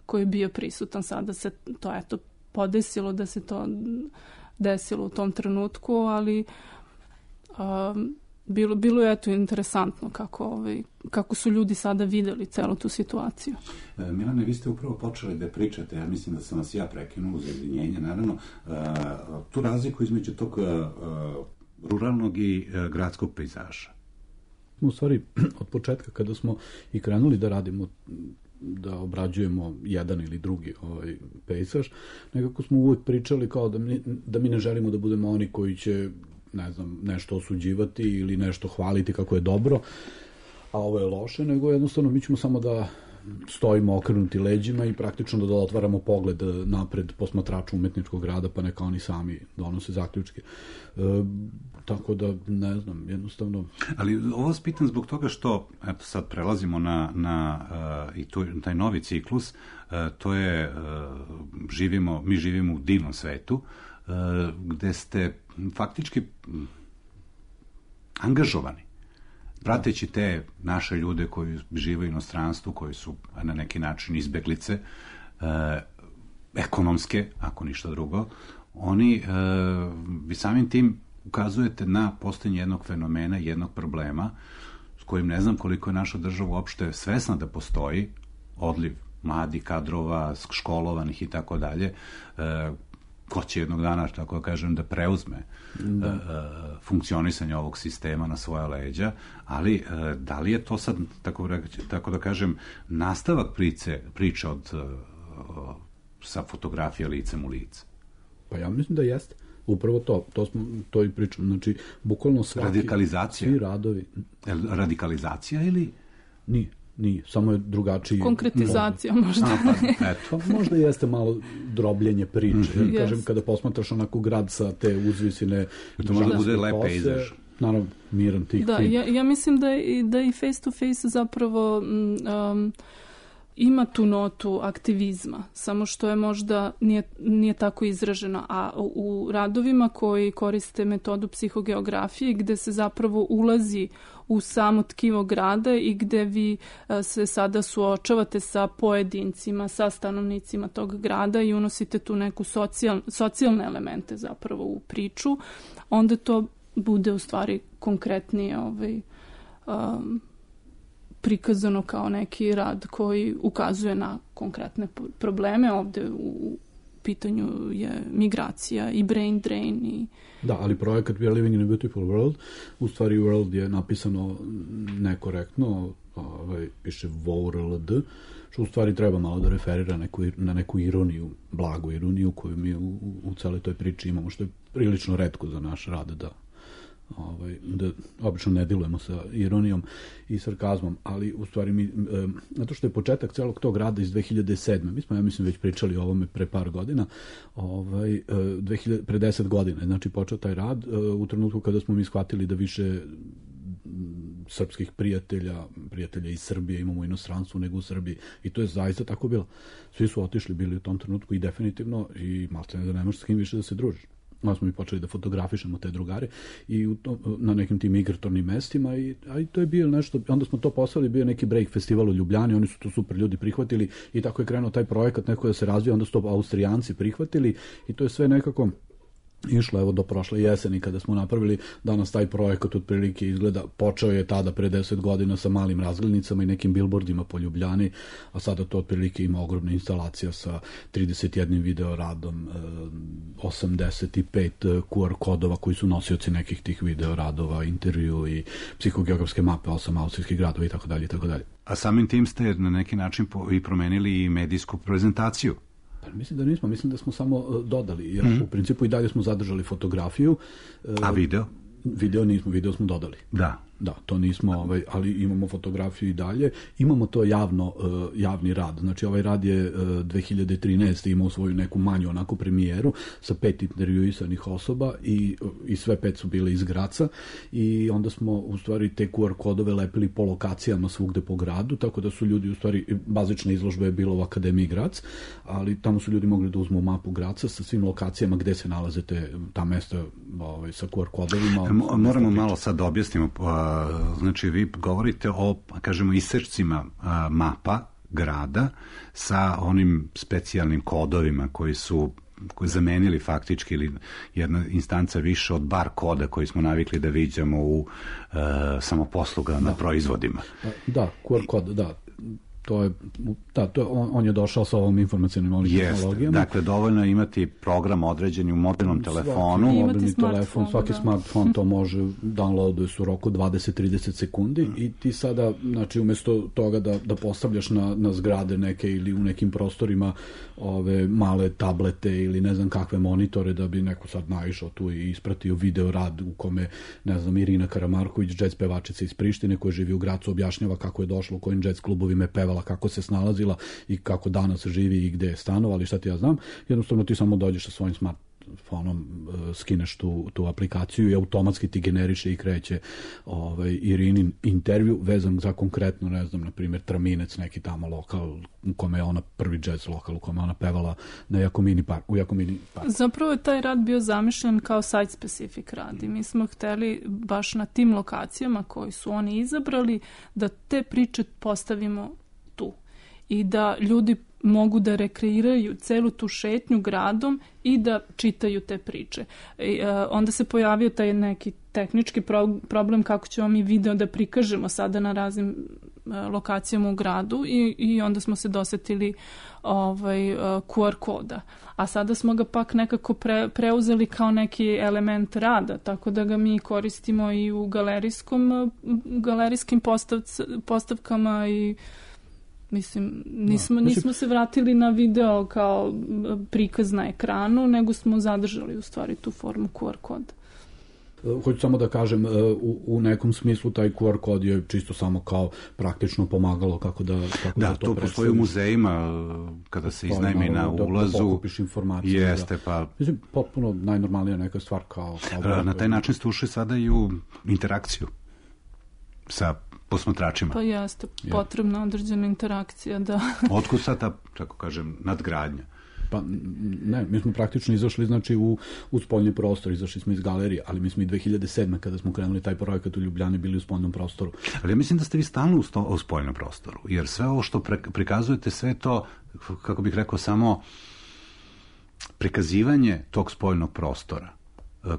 koji je bio prisutan. Sada se to podesilo da se to desilo u tom trenutku, ali bilo je interesantno kako su ljudi sada videli celu tu situaciju. Milane, vi ste upravo počeli da pričate, ja mislim da sam vas ja prekinuo uz izvinjenje, naravno, tu razliku između tog ruralnog i gradskog pejzaža. U stvari, od početka kada smo i krenuli da radimo, da obrađujemo jedan ili drugi pejzaž, nekako smo uvijek pričali kao da mi ne želimo da budemo oni koji će, ne znam, nešto osuđivati ili nešto hvaliti kako je dobro, a ovo je loše, nego jednostavno mi ćemo samo da stojimo okrenuti leđima i praktično da otvaramo pogled napred posmatraču umetničkog rada, pa neka oni sami donose zaključke. Tako da, ne znam, jednostavno... Ali ovo vas pitam zbog toga što, eto sad prelazimo na i taj novi ciklus, to je, mi živimo u divnom svetu, gde ste faktički angažovani, prateći te naše ljude koji žive u inostranstvu, koji su na neki način izbeglice, ekonomske, ako ništa drugo, vi samim tim ukazujete na postojanje jednog fenomena, jednog problema, s kojim ne znam koliko je naša država uopšte svesna da postoji, odliv mladih kadrova, školovanih i tako dalje, ko će jednog dana, tako da kažem, da preuzme funkcionisanje ovog sistema na svoja leđa, ali da li je to sad, tako da kažem, nastavak priče sa fotografija licem u lice? Pa ja mislim da jeste. Upravo to i pričam. Znači, bukvalno radikalizacija? Svi radovi. Radikalizacija ili? Nije, samo je drugačiji... Konkretizacija možda. Pa možda jeste malo drobljenje priče. Kažem, kada posmatraš onako grad sa te uzvisine... To možda bude lep pejzaž. Naravno, miran tih. Da, ja mislim da i face to face zapravo ima tu notu aktivizma, samo što je možda nije tako izražena, a u radovima koji koriste metodu psihogeografije, gde se zapravo ulazi u samo tkivo grada i gde vi se sada suočavate sa pojedincima, sa stanovnicima tog grada i unosite tu neku socijalne elemente zapravo u priču, onda to bude u stvari konkretnije prikazano kao neki rad koji ukazuje na konkretne probleme. Ovde u pitanju je migracija i brain drain. Da, ali projekat We are living in a beautiful world, u stvari world je napisano nekorektno, piše WORLD, što u stvari treba malo da referira na neku ironiju, blagu ironiju koju mi u celoj toj priči imamo, što je prilično retko za naš rad da obično ne dilujemo sa ironijom i sarkazmom, ali u stvari zato što je početak celog tog rada iz 2007. Mi smo, ja mislim, već pričali o ovome pre par godina, pre 10 godina, znači počeo taj rad u trenutku kada smo mi shvatili da više srpskih prijatelja iz Srbije imamo u inostranstvu nego u Srbiji, i to je zaista tako bilo. Svi su otišli bili u tom trenutku i definitivno, i maltene da nemaš s kim više da se družiš. Onda smo mi počeli da fotografišemo te drugare i na nekim tim migratornim mestima, i to je bio nešto, onda smo to poslali, bio neki break festival u Ljubljani, oni su to super ljudi prihvatili i tako je krenuo taj projekat neko da se razvija, onda su to Austrijanci prihvatili i to je sve nekako išlo evo do prošle jeseni kada smo napravili. Danas taj projekat otprilike izgleda, počeo je tada pre 10 godina sa malim razglednicama i nekim billboardima po Ljubljani, a sada to otprilike ima ogromna instalacija sa 31 video radom, 85 QR kodova koji su nosioci nekih tih video radova, intervju i psihogeografske mape 8 austrijskih gradova itd. itd. A samim tim ste na neki način i promenili i medijsku prezentaciju. Mislim da nismo, mislim da smo samo dodali, jer u principu i dalje smo zadržali fotografiju. A video? Video nismo, video smo dodali. Da, to nismo, ali imamo fotografiju i dalje. Imamo to javni rad. Znači, ovaj rad je 2013. imao svoju neku manju onako premijeru sa 5 intervjuisanih osoba i sve 5 su bile iz Graca i onda smo u stvari te QR kodove lepili po lokacijama svugde po gradu, tako da su ljudi u stvari, bazična izložba je bila u Akademiji Grac, ali tamo su ljudi mogli da uzmu mapu Graca sa svim lokacijama gde se nalaze ta mesta sa QR kodovima. Moramo malo sad da objasnimo. Znači, vi govorite o, kažemo, isečcima mapa grada sa onim specijalnim kodovima koji su zamenili faktički ili jedna instanca više od bar koda koji smo navikli da viđamo u samoposlugama na proizvodima. Da, QR kod, da. On je došao sa ovom informacijom tehnologijama. Dakle, dovoljno je imati program određeni u mobilnom telefonu. Mobilni telefon, svaki smartfon to može downloaduje su u roku 20-30 sekundi i ti sada, znači, umjesto toga da postavljaš na zgrade neke ili u nekim prostorima ove male tablete ili ne znam kakve monitore da bi neko sad naišao tu i ispratio video rad u kome, ne znam, Irina Karamarković, džez pevačica iz Prištine koja živi u Gracu, objašnjava kako je došla, u kojim džez klubovima je pevala, kako se snalazila i kako danas živi i gde je stanovala i šta ti ja znam. Jednostavno ti samo dođeš sa svojim smartfonom, skineš tu aplikaciju i automatski ti generiše i kreće Irinin intervju vezan za konkretno, ne znam, na primjer Traminec, neki tamo lokal u kome je ona prvi jazz lokal u kome ona pevala u Jakomini parku. Zapravo je taj rad bio zamišljen kao site specific rad i mi smo hteli baš na tim lokacijama koji su oni izabrali da te priče postavimo tu i da ljudi mogu da rekreiraju celu tu šetnju gradom i da čitaju te priče. Onda se pojavio taj neki tehnički problem kako ćemo mi video da prikažemo sada na raznim lokacijama u gradu i onda smo se dosetili QR koda. A sada smo ga pak nekako preuzeli kao neki element rada, tako da ga mi koristimo i u galerijskim postavkama i mislim, nismo se vratili na video kao prikaz na ekranu, nego smo zadržali u stvari tu formu QR koda. Hoću samo da kažem, u nekom smislu taj QR kod je čisto samo kao praktično pomagalo kako da to predstavimo. To postoji u muzejima kada se iznajmi na ulazu. Da pokupiš informacije. Jeste, pa... Mislim, potpuno najnormalnija neka stvar kao... Na taj način ste ušli sada i u interakciju sa posmatračima. Pa jeste, potrebna određena interakcija, da. Otkud sad ta, tako kažem, nadgradnja? Pa ne, mi smo praktično izašli, znači, u spoljni prostor, izašli smo iz galerije, ali mi smo i 2007. kada smo krenuli taj projekat u Ljubljani bili u spoljnom prostoru. Ali ja mislim da ste vi stalno u spoljnom prostoru, jer sve ovo što prikazujete, sve to, kako bih rekao, samo prikazivanje tog spoljnog prostora,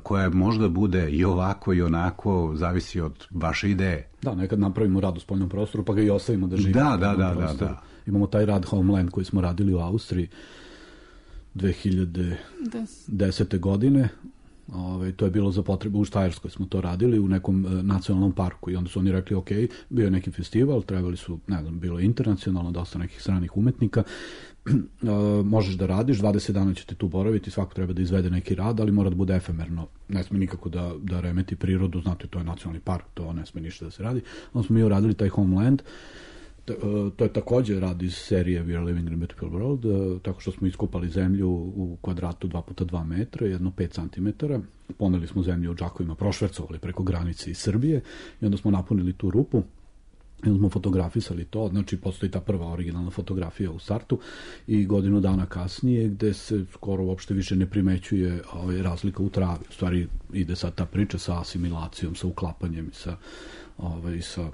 koja možda bude i ovako i onako, zavisi od vaše ideje. Da, nekad napravimo rad u spoljnom prostoru, pa ga i ostavimo da živi. Da. Imamo taj rad Homeland koji smo radili u Austriji 2010. godine. To je bilo za potrebe u Štajerskoj, smo to radili u nekom nacionalnom parku i onda su oni rekli, ok, bio je neki festival, trebali su, ne znam, bilo je internacionalno, dosta nekih stranih umetnika, možeš da radiš, 20 dana ćete tu boraviti, svako treba da izvede neki rad, ali mora da bude efemerno, ne sme nikako da remeti prirodu, znate, to je nacionalni park, to ne sme ništa da se radi. Onda smo mi uradili taj Homeland, to je također rad iz serije We are living in a beautiful world, tako što smo iskopali zemlju u kvadratu 2x2 metra, jedno 5 cm, poneli smo zemlju u džakovima, prošvercovali preko granice iz Srbije i onda smo napunili tu rupu i onda smo fotografisali to, znači postoji ta prva originalna fotografija u startu i godinu dana kasnije gde se skoro uopšte više ne primećuje razlika u travi. U stvari ide sad ta priča sa asimilacijom, sa uklapanjem i sa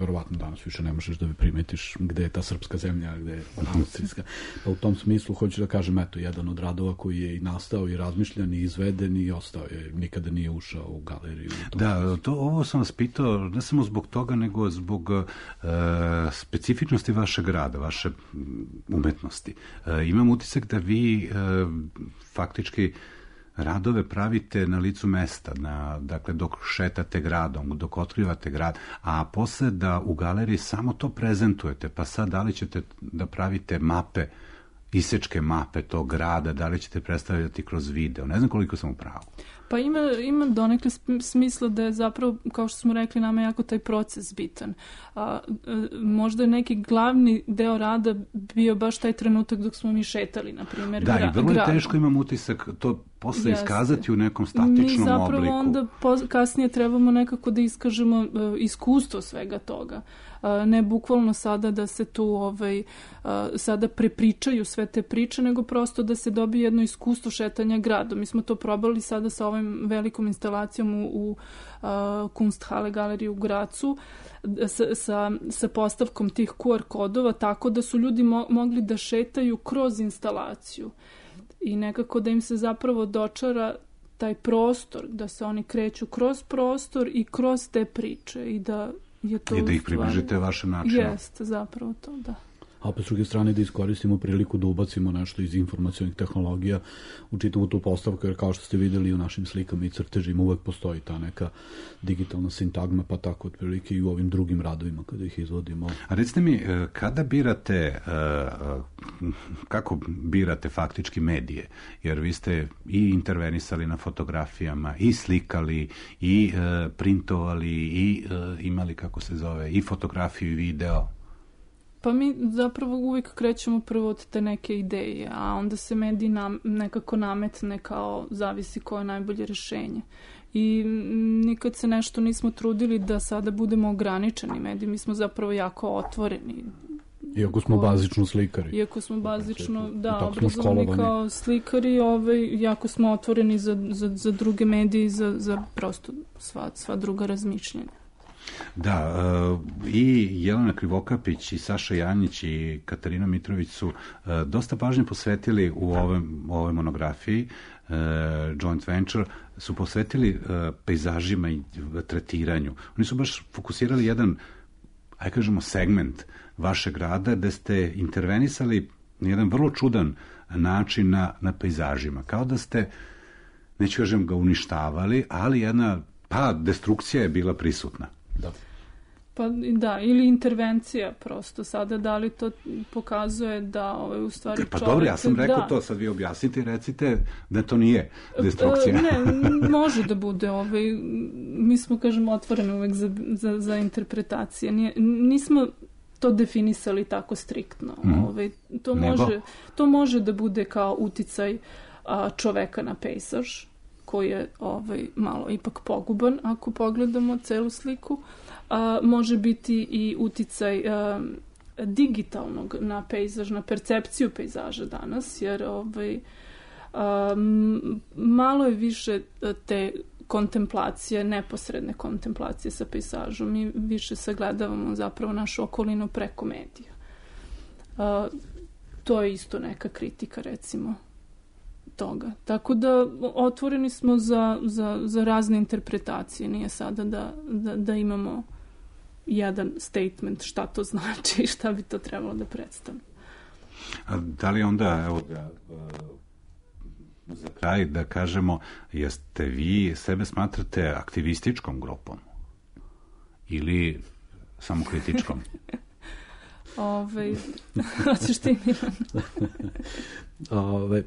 verovatno danas više ne možeš da primetiš gde je ta srpska zemlja, gde je austrijska. Pa u tom smislu hoću da kažem, eto, jedan od radova koji je i nastao i razmišljan i izveden i ostao je, nikada nije ušao u galeriju. Da, ovo sam vas pitao ne samo zbog toga, nego zbog specifičnosti vašeg rada, vaše umetnosti. Imam utisak da vi faktički radove pravite na licu mesta, dakle dok šetate gradom, dok otkrivate grad, a posle da u galeriji samo to prezentujete, pa sad da li ćete da pravite mape, isečke mape tog grada, da li ćete predstavljati kroz video, ne znam koliko sam u pravu. Pa ima donekle smisla da je zapravo, kao što smo rekli, nama jako taj proces bitan. Možda je neki glavni deo rada bio baš taj trenutak dok smo mi šetali, na primjer, da, i vrlo je teško, imam utisak, to posle iskazati u nekom statičnom obliku. Mi zapravo onda kasnije trebamo nekako da iskažemo iskustvo svega toga. Ne bukvalno sada da se tu sada prepričaju sve te priče, nego prosto da se dobije jedno iskustvo šetanja gradom. Mi smo to probali sada sa ovim velikom instalacijom u Kunsthalle galeriji u Gracu, sa postavkom tih QR kodova, tako da su ljudi mogli da šetaju kroz instalaciju i nekako da im se zapravo dočara taj prostor, da se oni kreću kroz prostor i kroz te priče i da je to i da ih približite vašem načinu. Jeste, zapravo to, da. A opet s druge strane da iskoristimo priliku da ubacimo nešto iz informacionih tehnologija u čitavu tu postavku, jer kao što ste videli u našim slikama i crtežima uvek postoji ta neka digitalna sintagma, pa tako otprilike i u ovim drugim radovima kada ih izvodimo. A recite mi, kada birate, kako birate faktički medije? Jer vi ste i intervenisali na fotografijama, i slikali, i printovali, i imali, kako se zove, i fotografiju i video. Pa mi zapravo uvijek krećemo prvo od te neke ideje, a onda se medij nekako nametne kao zavisi koje je najbolje rješenje. I nikad se nešto nismo trudili da sada budemo ograničeni mediji, mi smo zapravo jako otvoreni. Iako smo bazično slikari. Iako smo bazično, da, obrazovani kao slikari, jako smo otvoreni za druge medije i za prosto sva druga razmišljenja. Da, i Jelena Krivokapić i Saša Janjić i Katarina Mitrović su dosta pažnje posvetili u ovoj monografiji, Joint Venture, su posvetili pejzažima i tretiranju. Oni su baš fokusirali jedan, ajde kažemo, segment vašeg rada gde ste intervenisali na jedan vrlo čudan način na pejzažima. Kao da ste, neću kažem ga uništavali, ali jedna, destrukcija je bila prisutna. Da. Pa da, ili intervencija prosto sada, da li to pokazuje da u stvari čovjek... Pa dobro, ja sam rekao to, sad vi objasnite i recite da to nije destrukcija. Ne, može da bude, mi smo, kažem, otvoreni uvek za interpretacije. Nismo to definisali tako striktno. To može da bude kao uticaj čoveka na pejzaž, koji je malo ipak poguban ako pogledamo celu sliku. Može biti i uticaj digitalnog na pejzaž, na percepciju pejzaža danas, jer malo je više te kontemplacije, neposredne kontemplacije sa pejzažom. Mi više sagledavamo zapravo našu okolinu preko medija. To je isto neka kritika, recimo, toga. Tako da otvoreni smo za razne interpretacije. Nije sada da imamo jedan statement šta to znači i šta bi to trebalo da predstavlja. A da li onda, evo za kraj da kažemo, jeste vi sebe smatrate aktivističkom grupom ili samo kritičkom? Hoćeš ti, Milan?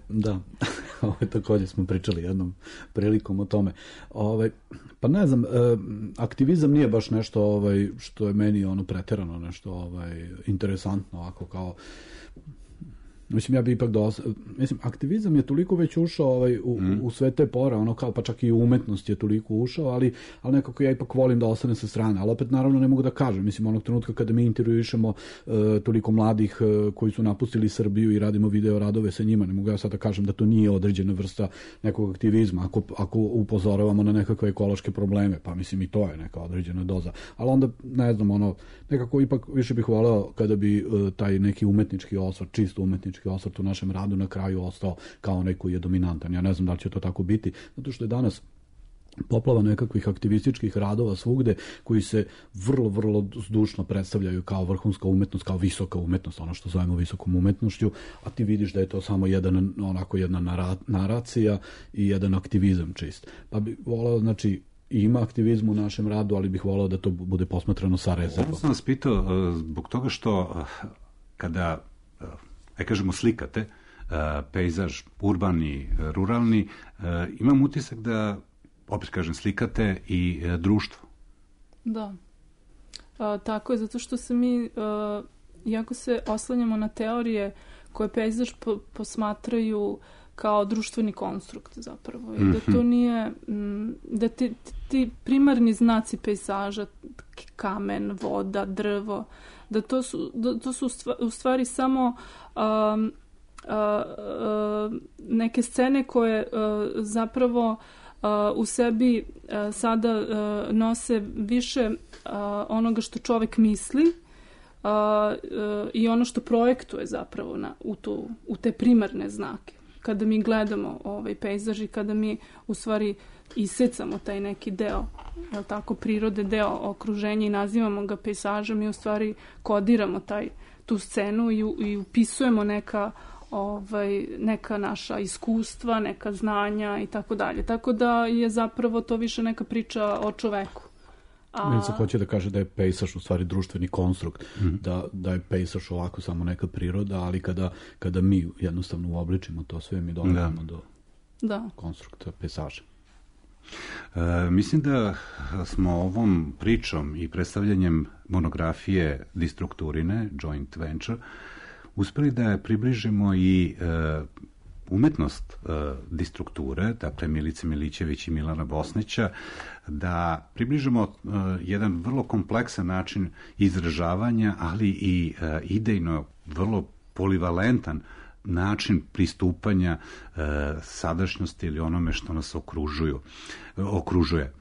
Da, također smo pričali jednom prilikom o tome. Pa ne znam, aktivizam nije baš nešto što je meni preterano nešto interesantno, ovako kao Mislim, ja bi ipak mislim, aktivizam je toliko već ušao u sve te pore, ono kao, pa čak i umetnost je toliko ušao, ali nekako ja ipak volim da ostane sa strane, ali opet naravno ne mogu da kažem, mislim, onog trenutka kada mi intervjuišemo toliko mladih koji su napustili Srbiju i radimo video radove sa njima, ne mogu ja sad da kažem da to nije određena vrsta nekog aktivizma, ako upozoravamo na nekakve ekološke probleme, pa mislim i to je neka određena doza, ali onda, ne znam, ono, nekako ipak više bih voleo kada bi taj neki umetnički osvrt, čisto umetnički osvrt u našem radu na kraju ostao kao neko je dominantan. Ja ne znam da li će to tako biti, zato što je danas poplava nekakvih aktivističkih radova svugde koji se vrlo, vrlo zdušno predstavljaju kao vrhunska umetnost, kao visoka umetnost, ono što zovemo visokom umetnošću, a ti vidiš da je to samo jedna naracija i jedan aktivizam čist. Pa bi voleo, znači, ima aktivizmu u našem radu, ali bih voleo da to bude posmatrano sa rezervom. Ovo sam vas pitao zbog toga što kada, kažemo, slikate pejzaž urbani, ruralni, imam utisak da, opet kažem, slikate i društvo. Da. Tako je, zato što se mi, iako se oslanjamo na teorije koje pejzaž posmatraju kao društveni konstrukt zapravo. I da to nije, da ti primarni znaci pejzaža, kamen, voda, drvo, da to su u stvari samo neke scene koje zapravo u sebi sada nose više onoga što čovek misli i ono što projektuje zapravo u te primarne znake. Kada mi gledamo ovaj pejzaž i kada mi u stvari isecamo taj neki deo, jel tako, prirode, deo okruženja i nazivamo ga pejzažom i u stvari kodiramo tu scenu i upisujemo neka naša iskustva, neka znanja i tako dalje. Tako da je zapravo to više neka priča o čoveku. Milica hoće da kaže da je pejzaž u stvari društveni konstrukt, da je pejzaž ovako samo neka priroda, ali kada mi jednostavno uobličimo to sve, mi dolazimo do konstrukta pejzaža. Mislim da smo ovom pričom i predstavljanjem monografije Distrukturine, Joint Venture, uspeli da približimo i umetnost Distrukture, dakle Milice Milićević i Milana Bosnića, da približimo jedan vrlo kompleksan način izražavanja, ali i idejno vrlo polivalentan način pristupanja sadašnjosti ili onome što nas okružuje.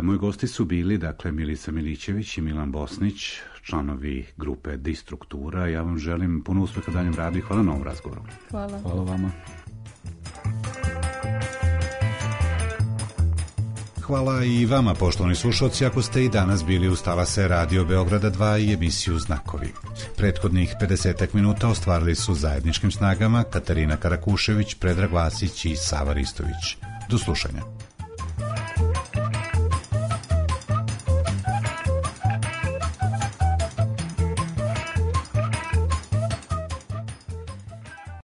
Moji gosti su bili, dakle, Milica Milićević i Milan Bosnić, članovi grupe Distruktura. Ja vam želim puno uspeha daljem radu i hvala na ovom razgovoru. Hvala. Hvala vama. Hvala i vama, poštovani slušalci, ako ste i danas bili uz talase Radio Beograda 2 i emisiju Znakovi. Prethodnih 50 minuta ostvarili su zajedničkim snagama Katarina Karakušević, Predrag Vasić i Sava Ristović. Do slušanja.